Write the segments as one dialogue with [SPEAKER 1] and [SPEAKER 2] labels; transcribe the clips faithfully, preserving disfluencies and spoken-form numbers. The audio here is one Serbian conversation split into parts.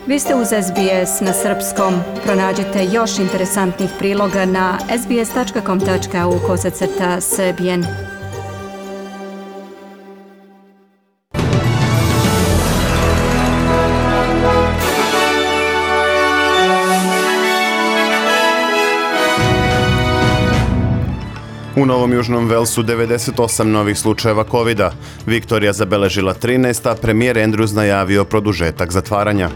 [SPEAKER 1] Vi ste uz S B S na srpskom. Pronađite još interesantnih priloga na sbs.com.au kosacrta srbijen.
[SPEAKER 2] U Novom Južnom Velsu devedeset osam novih slučajeva kovida. Viktorija zabeležila trinaest, a premijer Andrews najavio produžetak zatvaranja.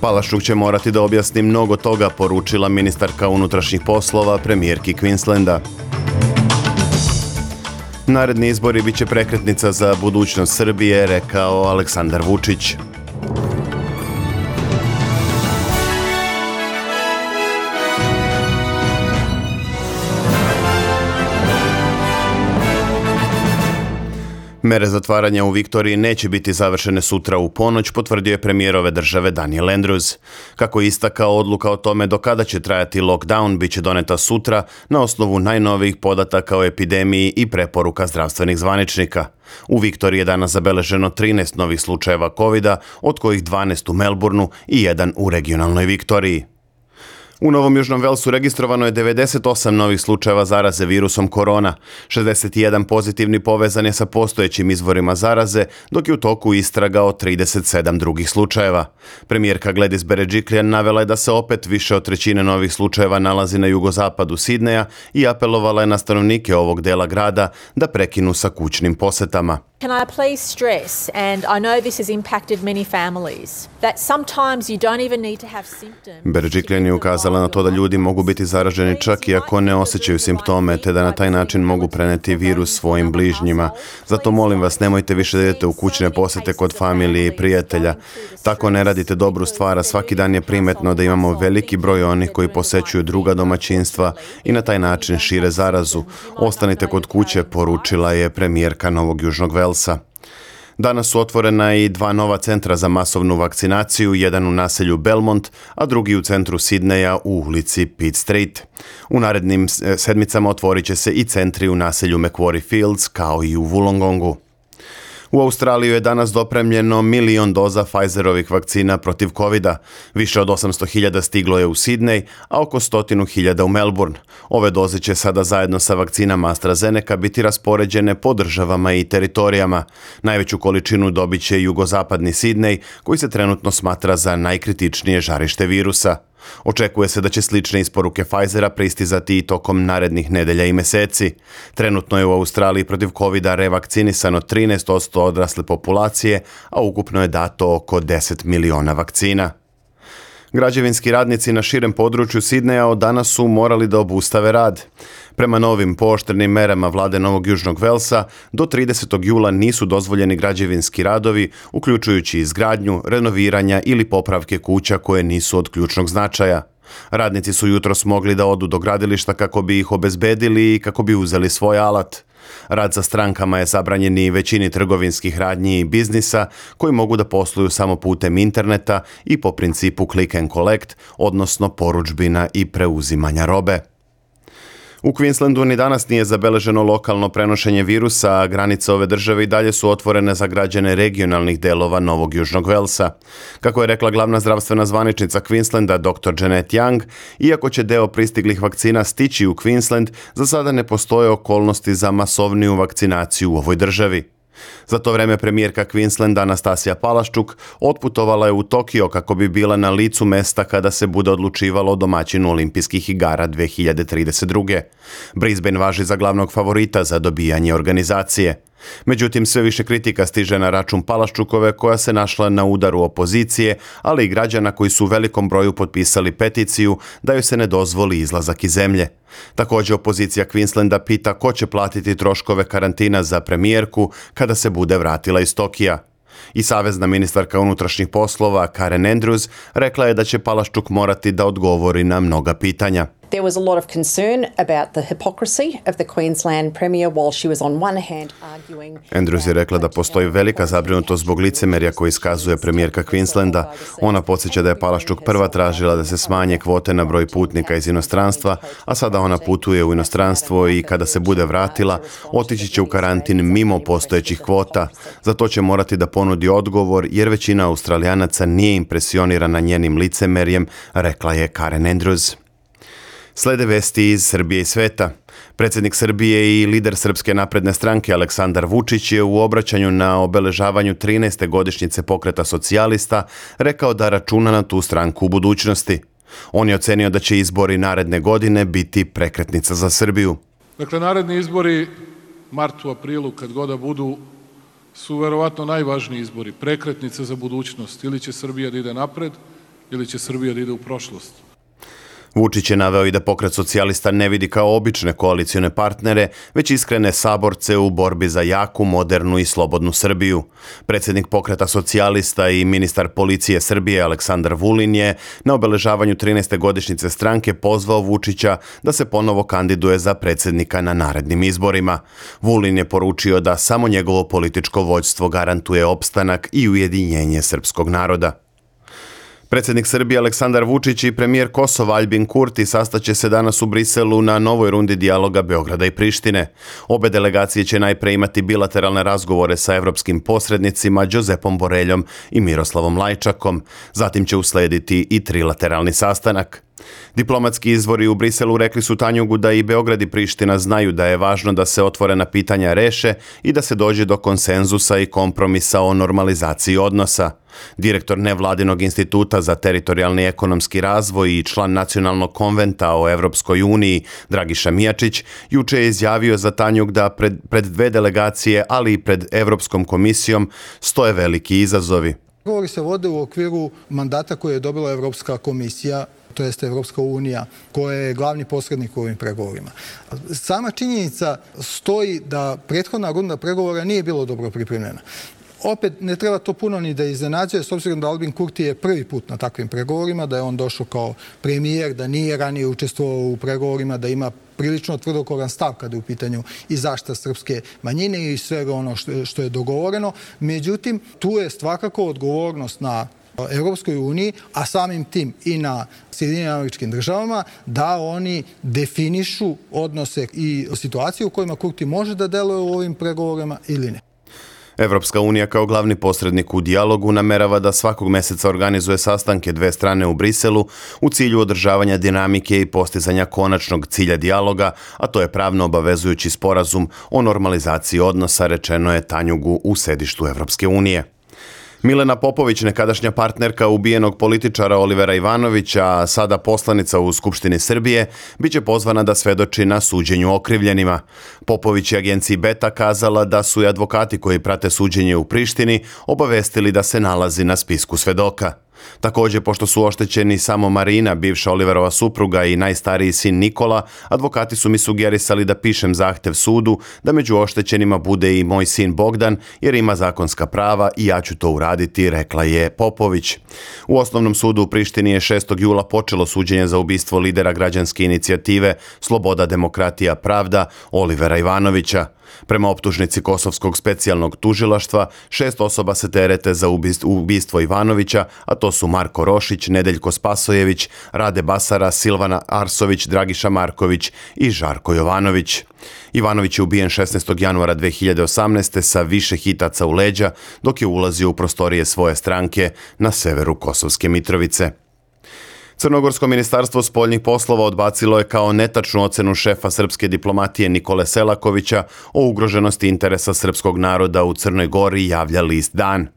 [SPEAKER 2] Palaščuk će morati da objasni mnogo toga, poručila ministarka unutrašnjih poslova premijerki Queenslanda. Naredni izbori biće prekretnica za budućnost Srbije, rekao Aleksandar Vučić. Mere zatvaranja u Viktoriji neće biti završene sutra u ponoć, potvrdio je premijer ove države Daniel Andrews. Kako je istakao, odluka o tome do kada će trajati lockdown biće doneta sutra na osnovu najnovijih podataka o epidemiji i preporuka zdravstvenih zvaničnika. U Viktoriji je danas zabeleženo trinaest novih slučajeva kovida, od kojih dvanaest u Melbourneu i jedan u regionalnoj Viktoriji. U Novom Južnom Velsu registrovano je devedeset osam novih slučajeva zaraze virusom korona. šezdeset jedan pozitivni povezan je sa postojećim izvorima zaraze, dok je u toku istraga o trideset sedam drugih slučajeva. Premijerka Gladys Berejiklian navela je da se opet više od trećine novih slučajeva nalazi na jugozapadu Sidneja i apelovala je na stanovnike ovog dela grada da prekinu sa kućnim posetama.
[SPEAKER 3] Can I please stress, and I know this has impacted many families, that sometimes you don't even need to have symptoms.
[SPEAKER 2] Berejiklian je ukazala na to da ljudi mogu biti zaraženi čak i ako ne osjećaju simptome, te da na taj način mogu preneti virus svojim bližnjima. Zato molim vas, nemojte više da idete u kućne posete kod familije i prijatelja. Tako ne radite dobru stvar, a svaki dan je primetno da imamo veliki broj onih koji posećuju druga domaćinstva i na taj način šire zarazu. Ostanite kod kuće, poručila je premijerka Novog Južnog Velsa. Danas su otvorena i dva nova centra za masovnu vakcinaciju, jedan u naselju Belmont, a drugi u centru Sidneja u ulici Pitt Street. U narednim sedmicama otvorit će se i centri u naselju Macquarie Fields, kao i u Wollongongu. U Australiju je danas dopremljeno milion doza Pfizerovih vakcina protiv kovida. Više od osamsto hiljada stiglo je u Sidney, a oko stotinu hiljada u Melbourne. Ove doze će sada zajedno sa vakcinama AstraZeneca biti raspoređene po državama i teritorijama. Najveću količinu dobit će jugozapadni Sidney, koji se trenutno smatra za najkritičnije žarište virusa. Očekuje se da će slične isporuke Pfizera pristizati i tokom narednih nedelja i meseci. Trenutno je u Australiji protiv kovida revakcinisano trinaest posto odrasle populacije, a ukupno je dato oko deset miliona vakcina. Građevinski radnici na širem području Sidneja od danas su morali da obustave rad. Prema novim pooštrenim merama vlade Novog Južnog Velsa, do tridesetog jula nisu dozvoljeni građevinski radovi, uključujući izgradnju, renoviranja ili popravke kuća koje nisu od ključnog značaja. Radnici su jutros mogli da odu do gradilišta kako bi ih obezbedili i kako bi uzeli svoj alat. Rad za strankama je zabranjen i većini trgovinskih radnji i biznisa koji mogu da posluju samo putem interneta i po principu click and collect, odnosno porudžbina i preuzimanja robe. U Queenslandu ni danas nije zabeleženo lokalno prenošenje virusa, a granice ove države i dalje su otvorene za građane regionalnih delova Novog Južnog Velsa. Kako je rekla glavna zdravstvena zvaničnica Queenslanda doktor Janet Young, iako će deo pristiglih vakcina stići u Queensland, za sada ne postoje okolnosti za masovniju vakcinaciju u ovoj državi. Za to vreme premijerka Queenslanda Anastasija Palaščuk otputovala je u Tokio kako bi bila na licu mesta kada se bude odlučivalo o domaćinu olimpijskih igara dve hiljade trideset druge. Brisbane važi za glavnog favorita za dobijanje organizacije. Međutim, sve više kritika stiže na račun Palaščukove, koja se našla na udaru opozicije, ali i građana koji su u velikom broju potpisali peticiju da joj se ne dozvoli izlazak iz zemlje. Također, opozicija Queenslanda pita ko će platiti troškove karantina za premijerku kada se bude vratila iz Tokija. I savezna ministarka unutrašnjih poslova Karen Andrews rekla je da će Palaščuk morati da odgovori na mnoga pitanja.
[SPEAKER 4] There was a lot of concern about the hypocrisy of the Queensland Premier while she was on one hand arguing...
[SPEAKER 2] Andrews je rekla da postoji velika zabrinutost zbog licemerja koji iskazuje premijerka Queenslanda. Ona podsjeća da je Palaščuk prva tražila da se smanje kvote na broj putnika iz inostranstva, a sada ona putuje u inostranstvo i kada se bude vratila, otići će u karantin mimo postojećih kvota. Za to će morati da ponudi odgovor jer većina Australijanaca nije impresionirana njenim licemerjem, rekla je Karen Andrews. Slede vesti iz Srbije i sveta. Predsjednik Srbije i lider Srpske napredne stranke Aleksandar Vučić je u obraćanju na obeležavanju trinaeste godišnjice Pokreta socijalista rekao da računa na tu stranku u budućnosti. On je ocenio da će izbori naredne godine biti prekretnica za Srbiju.
[SPEAKER 5] Dakle, naredni izbori, martu, aprilu, kad god da budu, su verovatno najvažniji izbori, prekretnice za budućnost. Ili će Srbija da ide napred, ili će Srbija da ide u prošlost.
[SPEAKER 2] Vučić je naveo i da Pokret socijalista ne vidi kao obične koalicione partnere, već iskrene saborce u borbi za jaku, modernu i slobodnu Srbiju. Predsjednik Pokreta socijalista i ministar policije Srbije Aleksandar Vulin je na obeležavanju trinaeste godišnjice stranke pozvao Vučića da se ponovo kandiduje za predsjednika na narednim izborima. Vulin je poručio da samo njegovo političko vođstvo garantuje opstanak i ujedinjenje srpskog naroda. Predsjednik Srbije Aleksandar Vučić i premijer Kosova Aljbin Kurti sastaće se danas u Briselu na novoj rundi dijaloga Beograda i Prištine. Obe delegacije će najpre imati bilateralne razgovore sa evropskim posrednicima Josepom Boreljom i Miroslavom Lajčakom. Zatim će uslediti i trilateralni sastanak. Diplomatski izvori u Briselu rekli su Tanjugu da i Beograd i Priština znaju da je važno da se otvorena pitanja reše i da se dođe do konsenzusa i kompromisa o normalizaciji odnosa. Direktor nevladinog instituta za teritorijalni ekonomski razvoj i član nacionalnog konventa o Evropskoj uniji Dragiša Mijačić juče je izjavio za Tanjug da pred, pred dve delegacije, ali i pred Evropskom komisijom stoje veliki izazovi.
[SPEAKER 6] Pregovori se vode u okviru mandata koje je dobila Evropska komisija, to jeste Evropska unija, koja je glavni posrednik u ovim pregovorima. Sama činjenica stoji da prethodna runda pregovora nije bilo dobro pripremljena. Opet ne treba to puno ni da iznenađuje, s obzirom da Aljbin Kurti je prvi put na takvim pregovorima, da je on došao kao premijer, da nije ranije učestvovao u pregovorima, da ima prilično tvrdokoran stav kada je u pitanju i zaštita srpske manjine i svega ono što je dogovoreno. Međutim, tu je svakako odgovornost na Evropskoj uniji, a samim tim i na Sjedinjenim Američkim Državama, da oni definišu odnose i situacije u kojima Kurti može da deluje u ovim pregovorima ili ne.
[SPEAKER 2] Evropska unija kao glavni posrednik u dijalogu namerava da svakog meseca organizuje sastanke dve strane u Briselu u cilju održavanja dinamike i postizanja konačnog cilja dijaloga, a to je pravno obavezujući sporazum o normalizaciji odnosa, rečeno je Tanjugu u sedištu Evropske unije. Milena Popović, nekadašnja partnerka ubijenog političara Olivera Ivanovića, a sada poslanica u Skupštini Srbije, biće pozvana da svedoči na suđenju okrivljenima. Popović je agenciji Beta kazala da su i advokati koji prate suđenje u Prištini obavestili da se nalazi na spisku svedoka. Također, pošto su oštećeni samo Marina, bivša Oliverova supruga, i najstariji sin Nikola, advokati su mi sugerisali da pišem zahtev sudu da među oštećenima bude i moj sin Bogdan, jer ima zakonska prava i ja ću to uraditi, rekla je Popović. U Osnovnom sudu u Prištini je šestog jula počelo suđenje za ubistvo lidera građanske inicijative Sloboda, demokratija, pravda Olivera Ivanovića. Prema optužnici Kosovskog specijalnog tužilaštva, šest osoba se terete za ubistvo Ivanovića, a to su Marko Rošić, Nedeljko Spasojević, Rade Basara, Silvana Arsović, Dragiša Marković i Žarko Jovanović. Ivanović je ubijen šesnaestog januara dve hiljade osamnaeste. sa više hitaca u leđa, dok je ulazio u prostorije svoje stranke na severu Kosovske Mitrovice. Crnogorsko ministarstvo spoljnih poslova odbacilo je kao netačnu ocenu šefa srpske diplomatije Nikole Selakovića o ugroženosti interesa srpskog naroda u Crnoj Gori, javlja list Dan.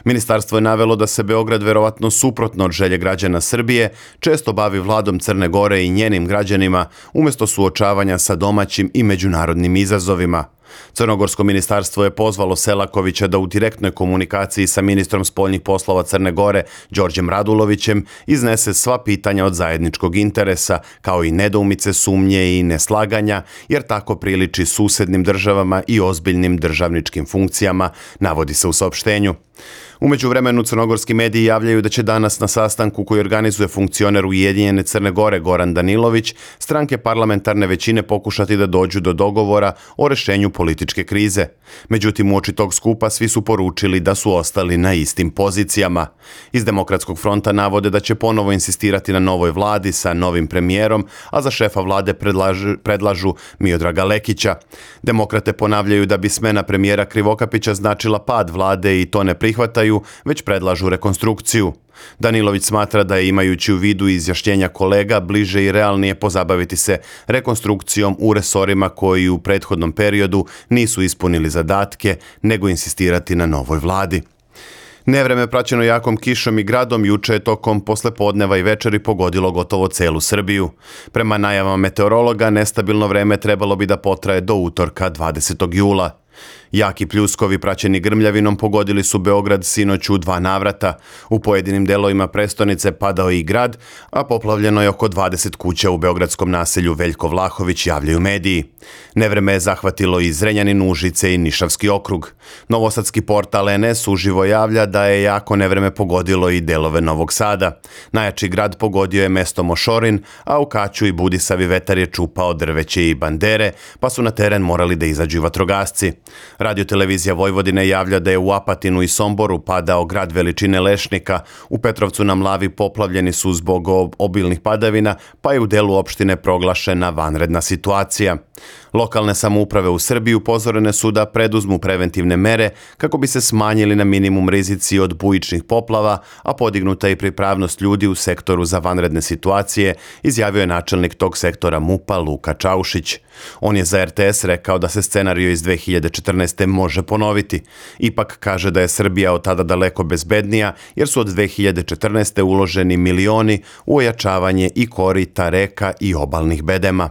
[SPEAKER 2] Ministarstvo je navelo da se Beograd, verovatno suprotno od želje građana Srbije, često bavi vladom Crne Gore i njenim građanima umjesto suočavanja sa domaćim i međunarodnim izazovima. Crnogorsko ministarstvo je pozvalo Selakovića da u direktnoj komunikaciji sa ministrom spoljnih poslova Crne Gore, Đorđem Radulovićem, iznese sva pitanja od zajedničkog interesa, kao i nedoumice, sumnje i neslaganja, jer tako priliči susednim državama i ozbiljnim državničkim funkcijama, navodi se u saopštenju. U međuvremenu crnogorski mediji javljaju da će danas na sastanku koji organizuje funkcioner Ujedinjene Crne Gore Goran Danilović stranke parlamentarne većine pokušati da dođu do dogovora o rešenju političke krize. Međutim, uoči tog skupa svi su poručili da su ostali na istim pozicijama. Iz Demokratskog fronta navode da će ponovo insistirati na novoj vladi sa novim premijerom, a za šefa vlade predlažu, predlažu Miodraga Lekića. Demokrate ponavljaju da bi smena premijera Krivokapića značila pad vlade i to ne prihvataju, već predlažu rekonstrukciju. Danilović smatra da je, imajući u vidu izjašnjenja kolega, bliže i realnije pozabaviti se rekonstrukcijom u resorima koji u prethodnom periodu nisu ispunili zadatke, nego insistirati na novoj vladi. Nevreme praćeno jakom kišom i gradom juče je tokom poslepodneva i večeri pogodilo gotovo celu Srbiju. Prema najavama meteorologa, nestabilno vreme trebalo bi da potraje do utorka dvadesetog jula. Jaki pljuskovi praćeni grmljavinom pogodili su Beograd sinoć u dva navrata. U pojedinim delovima prestonice padao je i grad, a poplavljeno je oko dvadeset kuća u beogradskom naselju Veljko Vlahović, javljaju mediji. Nevreme je zahvatilo i Zrenjanin, Užice i Nišavski okrug. Novosadski portal en es uživo javlja da je jako nevreme pogodilo i delove Novog Sada. Najjači grad pogodio je mesto Mošorin, a u Kaću i Budisavi vetar je čupao drveće i bandere, pa su na teren morali da izađu vatrogasci. Radiotelevizija Vojvodine javlja da je u Apatinu i Somboru padao grad veličine lešnika, u Petrovcu na Mlavi poplavljeni su zbog obilnih padavina, pa je u delu opštine proglašena vanredna situacija. Lokalne samouprave u Srbiji upozorene su da preduzmu preventivne mere kako bi se smanjili na minimum rizici od bujičnih poplava, a podignuta i pripravnost ljudi u sektoru za vanredne situacije, izjavio je načelnik tog sektora MUP-a Luka Čaušić. On je za er te es rekao da se scenario iz dve hiljade četrnaeste. može ponoviti. Ipak kaže da je Srbija od tada daleko bezbednija, jer su od dve hiljade četrnaeste. uloženi milioni u ojačavanje i korita, reka i obalnih bedema.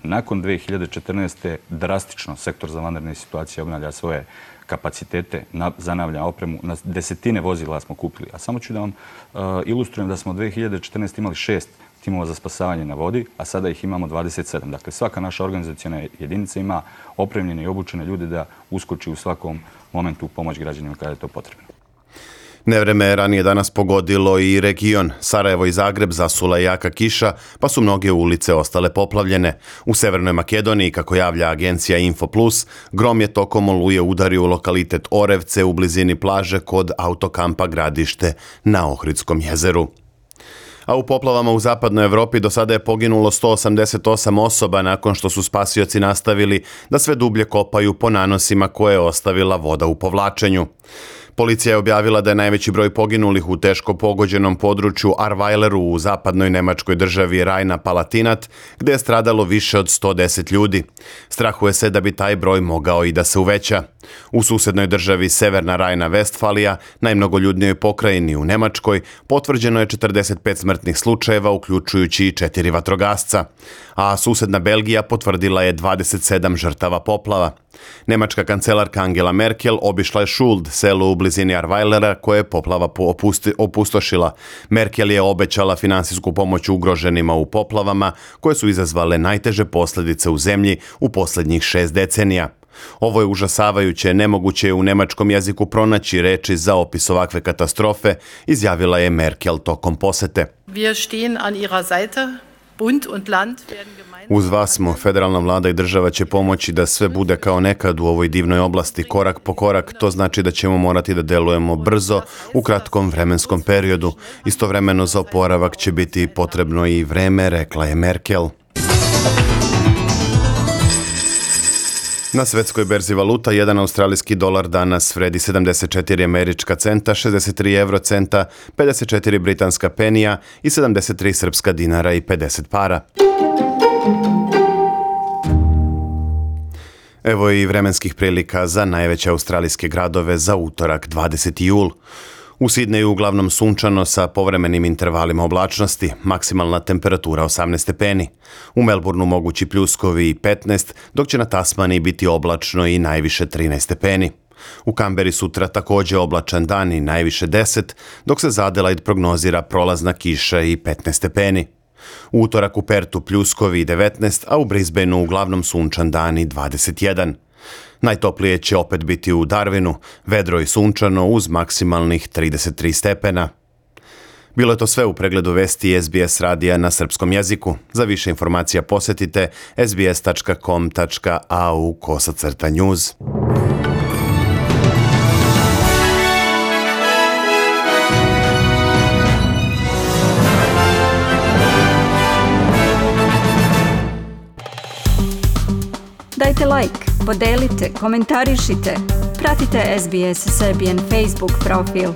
[SPEAKER 7] Nakon dve hiljade četrnaeste. drastično sektor za vanredne situacije obnavlja svoje kapacitete, zanavlja opremu. Na desetine vozila smo kupili. A samo ću da vam uh, ilustrujem da smo od dve hiljade četrnaeste. imali šest timova za spasavanje na vodi, a sada ih imamo dvadeset sedam. Dakle, svaka naša organizaciona jedinica ima opremljene i obučene ljude da uskoči u svakom momentu u pomoć građanima kada je to potrebno.
[SPEAKER 2] Nevreme je ranije danas pogodilo i region. Sarajevo i Zagreb zasula jaka kiša, pa su mnoge ulice ostale poplavljene. U Severnoj Makedoniji, kako javlja agencija Infoplus, grom je tokom oluje udario u lokalitet Orevce u blizini plaže kod autokampa Gradište na Ohridskom jezeru. A u poplavama u zapadnoj Evropi do sada je poginulo sto osamdeset osam osoba nakon što su spasioci nastavili da sve dublje kopaju po nanosima koje je ostavila voda u povlačenju. Policija je objavila da je najveći broj poginulih u teško pogođenom području Arvajleru u zapadnoj nemačkoj državi Rajna-Palatinat, gde je stradalo više od sto deset ljudi. Strahuje se da bi taj broj mogao i da se uveća. U susednoj državi Severna Rajna-Vestfalija, najmnogoljudnijoj pokrajini u Nemačkoj, potvrđeno je četrdeset pet smrtnih slučajeva, uključujući i četiri vatrogasca. A susedna Belgija potvrdila je dvadeset sedam žrtava poplava. Nemačka kancelarka Angela Merkel obišla je Schuld, selo u blizini Arvajlera koje je poplava opustošila. Merkel je obećala finansijsku pomoć ugroženima u poplavama koje su izazvale najteže posljedice u zemlji u posljednjih šest decenija. Ovo je užasavajuće, nemoguće je u nemačkom jeziku pronaći reči za opis ovakve katastrofe, izjavila je Merkel tokom posete.
[SPEAKER 8] Wir stehen an ihrer Seite. Bund und Land werden
[SPEAKER 2] Uz vas smo, federalna vlada i država će pomoći da sve bude kao nekad u ovoj divnoj oblasti, korak po korak. To znači da ćemo morati da delujemo brzo u kratkom vremenskom periodu. Istovremeno za oporavak će biti potrebno i vreme, rekla je Merkel. Na svetskoj berzi valuta jedan australijski dolar danas vredi sedamdeset četiri američka centa, šezdeset tri evro centa, pedeset četiri britanska penija i sedamdeset tri srpska dinara i pedeset para. Evo i vremenskih prilika za najveće australijske gradove za utorak dvadeseti jul. U Sidneju uglavnom sunčano sa povremenim intervalima oblačnosti, maksimalna temperatura osamnaest stepeni. U Melbourneu mogući pljuskovi i petnaest, dok će na Tasmaniji biti oblačno i najviše trinaest stepeni. U Kamberi sutra također oblačan dan i najviše deset, dok se za Adelaide prognozira prolazna kiša i petnaest stepeni. U utorak u Pertu pljuskovi i devetnaest, a u Brisbaneu uglavnom sunčan dan i dvadeset jedan. Najtoplije će opet biti u Darwinu, vedro i sunčano uz maksimalnih trideset tri stepena. Bilo je to sve u pregledu vesti S B S radija na srpskom jeziku. Za više informacija posjetite s b s tačka com tačka a u kosacrta news.
[SPEAKER 1] Dajte like, podelite, komentarišite. Pratite S B S Serbian Facebook profil.